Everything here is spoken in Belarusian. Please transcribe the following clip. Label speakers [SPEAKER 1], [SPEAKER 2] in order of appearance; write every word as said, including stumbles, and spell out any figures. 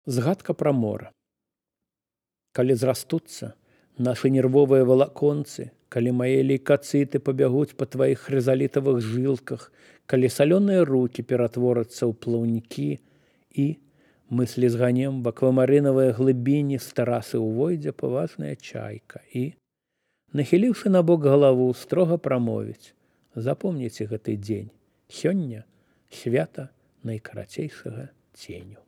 [SPEAKER 1] Згадка пра мора. Калі зрастуцца нашы нервовыя валаконцы, калі мае лейкацыты пабягуць па тваіх хрызалітавых жылках, калі салёныя рукі ператворацца ў плаўнікі і, мыслі зганем в аквамарынавыя глыбіні з тэрасы ўвойдзе паважная чайка і, нахіліўшы набок галаву, строга прамовіць: запомніце гэты дзень, сёння свята найкарацейшага ценю.